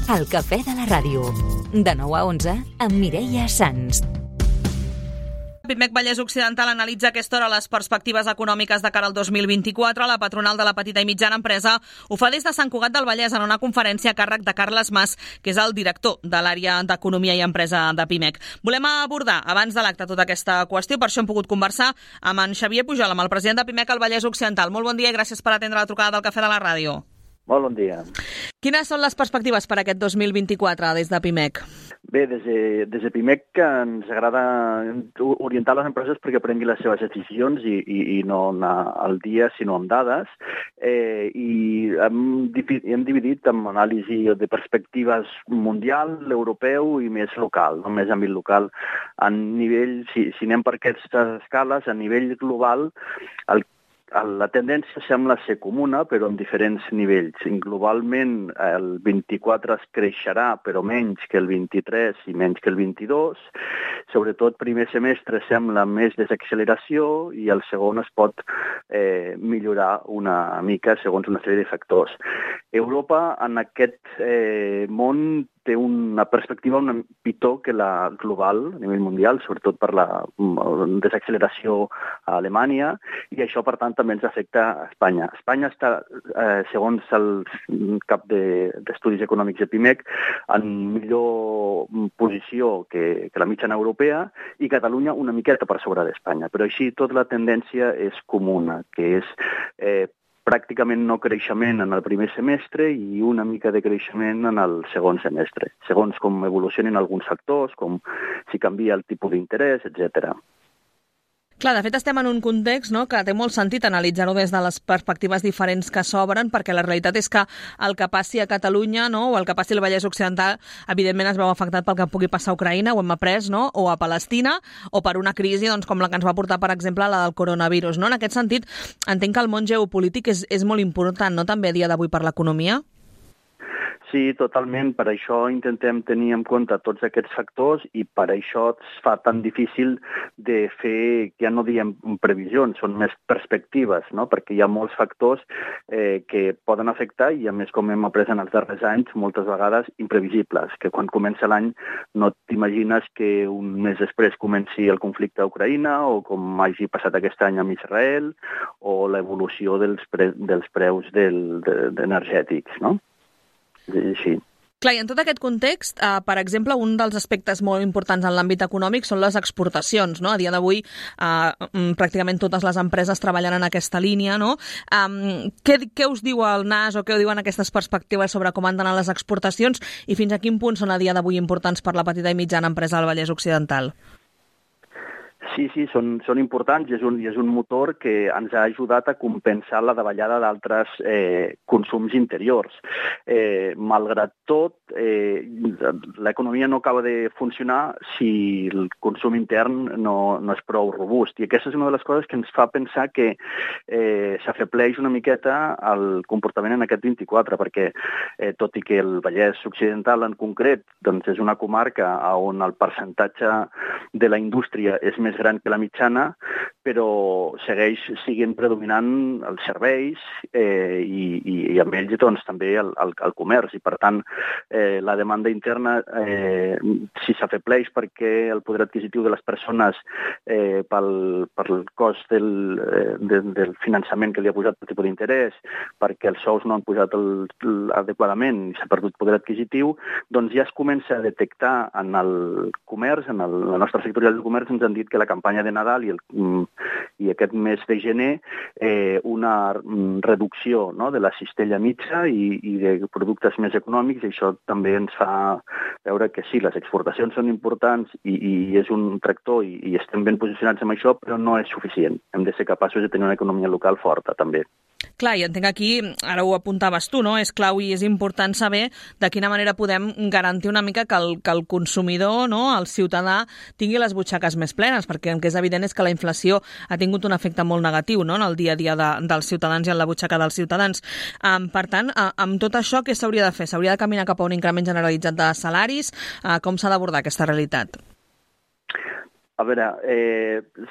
El Cafè de la Ràdio. De 9 a 11 amb Mireia Sans. Pimec Vallès Occidental analitza a aquesta hora les perspectives econòmiques de cara al 2024. La patronal de la petita i mitjana empresa ho fa des de Sant Cugat del Vallès en una conferència a càrrec de Carles Mas, que és el director de l'àrea d'Economia i Empresa de Pimec. Volem abordar abans de l'acte tota aquesta qüestió, per això hem pogut conversar amb en Xavier Pujol, amb el president de Pimec al Vallès Occidental. Molt bon dia i gràcies per atendre la trucada del Cafè de la Ràdio. Molt bon dia. Quines són les perspectives per aquest 2024 des de Pimec? Bé, des de Pimec ens agrada orientar les empreses perquè prenguin les seves decisions i no anar al dia, sinó amb dades. I hem dividit en anàlisi de perspectives mundial, europeu i més local, no més àmbit local. A nivell, si anem per aquestes escales, a nivell global, la tendència sembla ser comuna, però en diferents nivells. Globalment, el 24 es creixerà, però menys que el 23 i menys que el 22. Sobretot, primer semestre sembla més desacceleració i el segon es pot millorar una mica segons una sèrie de factors. Europa, en aquest món, té una perspectiva una pitjor que la global, a nivell mundial, sobretot per la desacceleració a Alemanya, i això, per tant, també ens afecta a Espanya. Espanya està, segons el cap d'estudis econòmics de Pimec, en millor posició que la mitjana europea, i Catalunya una miqueta per sobre d'Espanya. Però així, tota la tendència és comuna, que és pràcticament no creixement en el primer semestre i una mica de creixement en el segon semestre, segons com evolucionen alguns factors, com si canvia el tipus d'interès, etc. Clar, de fet estem en un context, no?, que té molt sentit analitzar-ho des de les perspectives diferents que s'obren, perquè la realitat és que el que passi a Catalunya, no?, o el que passi al Vallès Occidental, evidentment es veu afectat pel que pugui passar a Ucraïna, ho hem après, no?, o a Palestina, o per una crisi doncs, com la que ens va portar, per exemple, la del coronavirus. No? En aquest sentit, entenc que el món geopolític és molt important, no?, també a dia d'avui per l'economia? Sí, totalment. Per això intentem tenir en compte tots aquests factors i per això es fa tan difícil de fer, ja no diem previsions, són més perspectives, no? Perquè hi ha molts factors que poden afectar i, a més, com hem après en els darrers anys, moltes vegades imprevisibles, que quan comença l'any no t'imagines que un mes després comenci el conflicte a Ucraïna o com hagi passat aquest any amb Israel o l'evolució dels preus energètics, no? Sí. Clar, i en tot aquest context, per exemple, un dels aspectes molt importants en l'àmbit econòmic són les exportacions, no? A dia d'avui, pràcticament totes les empreses treballen en aquesta línia, no? Què us diu el NAS o què us diuen aquestes perspectives sobre com han d'anar les exportacions i fins a quin punt són a dia d'avui importants per la petita i mitjana empresa del Vallès Occidental? Sí, són importants i és un motor que ens ha ajudat a compensar la davallada d'altres consums interiors. Malgrat tot, l'economia no acaba de funcionar si el consum intern no és prou robust. I aquesta és una de les coses que ens fa pensar que s'afebleix una miqueta el comportament en aquest 24, perquè tot i que el Vallès Occidental en concret doncs és una comarca on el percentatge de la indústria és més gran que la mitjana, però segueix sent predominant els serveis i amb ells doncs, també el comerç. I, per tant, la demanda interna, si s'afebleix perquè el poder adquisitiu de les persones pel cost del finançament que li ha posat el tipus d'interès, perquè els sous no han pujat adequadament i s'ha perdut poder adquisitiu, doncs ja es comença a detectar en el comerç, en la nostra sectorial del comerç, ens han dit que la campanya de Nadal i aquest mes de gener una reducció, no?, de la cistella mitja i de productes més econòmics, i això també ens fa veure que sí, les exportacions són importants i és un tractor i estem ben posicionats amb això, però no és suficient. Hem de ser capaços de tenir una economia local forta, també. Clar, i entenc aquí, ara ho apuntaves tu, no? És clau i és important saber de quina manera podem garantir una mica que el consumidor, no?, el ciutadà, tingui les butxaques més plenes, perquè el que és evident és que la inflació ha tingut un efecte molt negatiu, no?, en el dia a dia dels ciutadans i en la butxaca dels ciutadans. Per tant, amb tot això, què s'hauria de fer? S'hauria de caminar cap a un increment generalitzat de salaris? Com s'ha d'abordar aquesta realitat? A veure,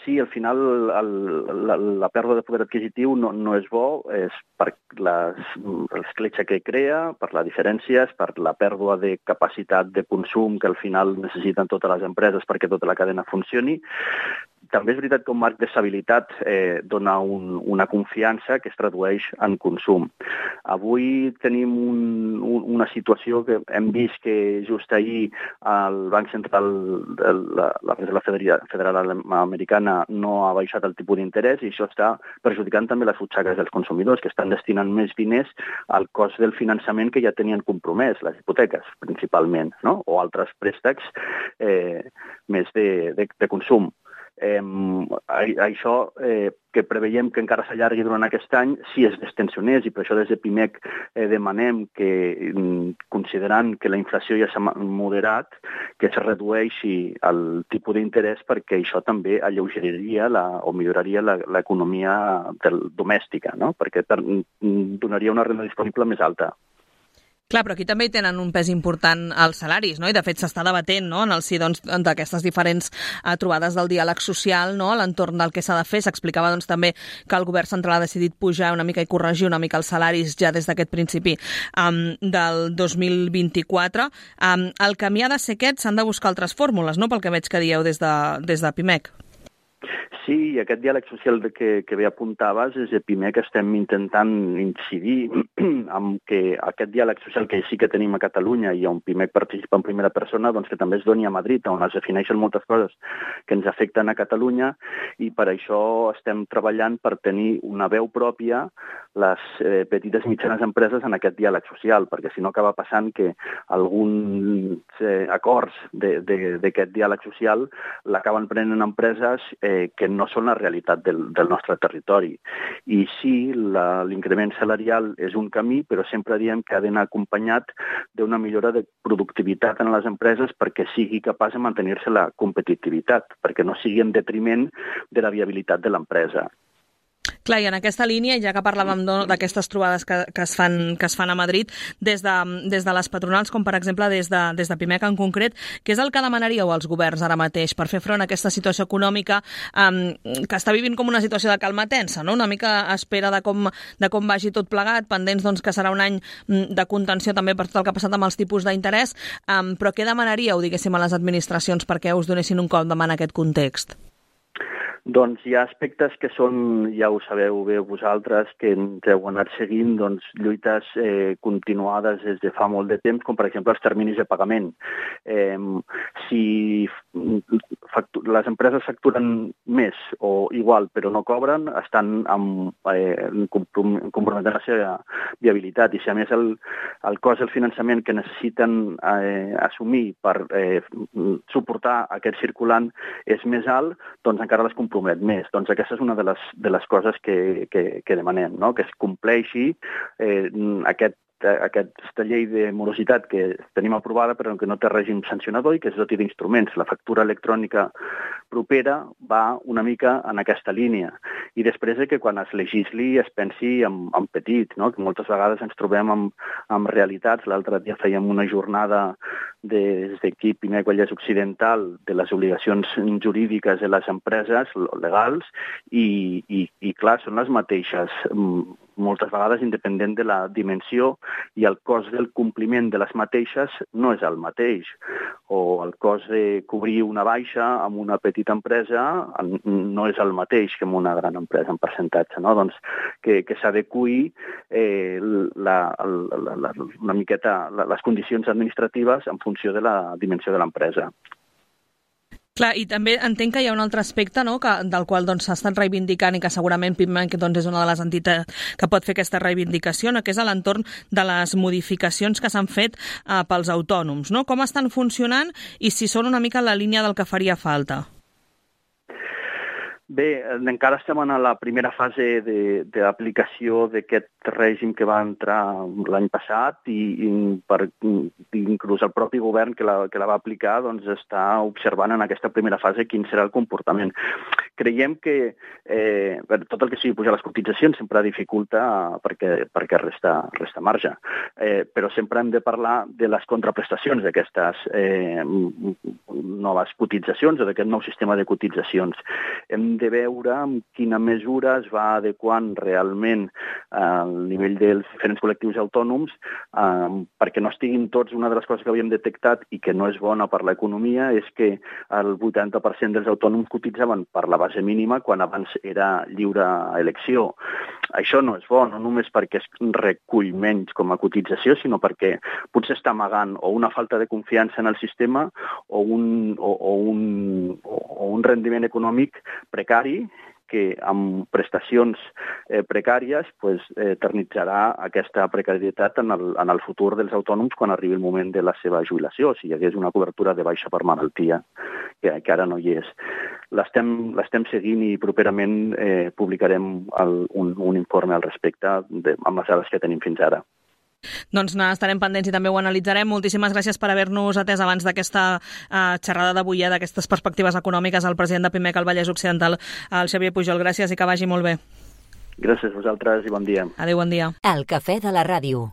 sí, al final la pèrdua de poder adquisitiu no és bo, és per l'escletxa que crea, per les diferències, per la pèrdua de capacitat de consum que al final necessiten totes les empreses perquè tota la cadena funcioni. També és veritat que un marc d'estabilitat dona una confiança que es tradueix en consum. Avui tenim una situació que hem vist que just ahir el Banc Central de la Reserva Federal Americana no ha baixat el tipus d'interès i això està perjudicant també les butxaques dels consumidors, que estan destinant més diners al cost del finançament que ja tenien compromès, les hipoteques principalment, no? O altres préstecs més de consum. Això que preveiem que encara s'allargui durant aquest any si es destensionés, i per això des de PIMEC demanem que, considerant que la inflació ja s'ha moderat, que es redueixi el tipus d'interès perquè això també alleugeriria o milloraria l'economia domèstica, no? Perquè donaria una renda disponible més alta. Clar, però aquí també hi tenen un pes important els salaris, no? I de fet s'està debatent, no?, en el si d'aquestes diferents trobades del diàleg social, no?, a l'entorn del que s'ha de fer. S'explicava també que el govern central ha decidit pujar una mica i corregir una mica els salaris ja des d'aquest principi del 2024. El camí ha de ser aquest, s'han de buscar altres fórmules, no?, pel que veig que dieu des de PIMEC. Sí, i aquest diàleg social que bé apuntaves, des de PIMEC estem intentant incidir en que aquest diàleg social que sí que tenim a Catalunya i on PIMEC participa en primera persona, doncs que també es doni a Madrid, on es defineixen moltes coses que ens afecten a Catalunya, i per això estem treballant per tenir una veu pròpia les petites i mitjanes empreses en aquest diàleg social, perquè si no acaba passant que alguns acords d'aquest diàleg social l'acaben prenent empreses que no són la realitat del nostre territori. I sí, l'increment salarial és un camí, però sempre diem que ha d'anar acompanyat d'una millora de productivitat en les empreses perquè sigui capaç de mantenir-se la competitivitat, perquè no sigui en detriment de la viabilitat de l'empresa. Clar, i en aquesta línia, ja que parlàvem d'aquestes trobades que es fan a Madrid, des de les patronals, com per exemple des de PIMEC en concret, què és el que demanaríeu als governs ara mateix per fer front a aquesta situació econòmica que està vivint com una situació de calma tensa, no? Una mica a espera de com vagi tot plegat, pendents que serà un any de contenció també per tot el que ha passat amb els tipus d'interès, però què demanaríeu, diguéssim, a les administracions perquè us donessin un cop de mà en aquest context? Doncs hi ha aspectes que són, ja ho sabeu bé vosaltres, que ens heu anat seguint, doncs, lluites continuades des de fa molt de temps, com per exemple els terminis de pagament. Si les empreses facturen més o igual però no cobren, estan comprometent la seva viabilitat. I si a més el cost del finançament que necessiten assumir per suportar aquest circulant és més alt, doncs encara les compromet més. Doncs aquesta és una de les coses que demanem, no? Que es compleixi aquesta llei de morositat que tenim aprovada però que no té règim sancionador i que es doti d'instruments. La factura electrònica propera va una mica en aquesta línia. I després que quan es legisli es pensi en petit, no? Que moltes vegades ens trobem amb realitats. L'altre dia fèiem una jornada des d'aquí, PIMEC Vallès Occidental, de les obligacions jurídiques de les empreses legals i clar, són les mateixes moltes vegades independent de la dimensió, i el cost del compliment de les mateixes no és el mateix. O el cost de cobrir una baixa amb una petita empresa no és el mateix que amb una gran empresa en percentatge, no? Doncs que s'adequi una miqueta les condicions administratives en funció de la dimensió de l'empresa. Clar, i també entenc que hi ha un altre aspecte, no?, del qual s'ha estat reivindicant i que segurament PIMEC és una de les entitats que pot fer aquesta reivindicació, no?, que és a l'entorn de les modificacions que s'han fet pels autònoms, no? Com estan funcionant i si són una mica en la línia del que faria falta? Bé, encara estem en la primera fase d'aplicació d'aquest règim que va entrar l'any passat i inclús el propi govern que la va aplicar doncs està observant en aquesta primera fase quin serà el comportament. creiem que tot el que sigui pujar les cotitzacions sempre dificulta perquè resta marge. Però sempre hem de parlar de les contraprestacions d'aquestes noves cotitzacions o d'aquest nou sistema de cotitzacions. Hem de veure en quina mesura es va adequant realment al nivell dels diferents col·lectius autònoms perquè no estiguin tots. Una de les coses que havíem detectat i que no és bona per l'economia és que el 80% dels autònoms cotitzaven per la base mínima quan abans era lliure elecció. Això no és bo, no només perquè es recull menys com a cotització, sinó perquè potser està amagant o una falta de confiança en el sistema o un rendiment econòmic precari que amb prestacions precàries eternitzarà aquesta precarietat en el futur dels autònoms quan arribi el moment de la seva jubilació, si hi hagués una cobertura de baixa per malaltia, que ara no hi és. L'estem seguint i properament publicarem un informe al respecte amb les dades que tenim fins ara. Doncs estarem pendents i també ho analitzarem. Moltíssimes gràcies per haver-nos atès abans d'aquesta xerrada d'avui, d'aquestes perspectives econòmiques, al president de PIMEC al Vallès Occidental, el Xavier Pujol. Gràcies i que vagi molt bé. Gràcies a vosaltres i bon dia. Adéu, bon dia. El cafè de la ràdio.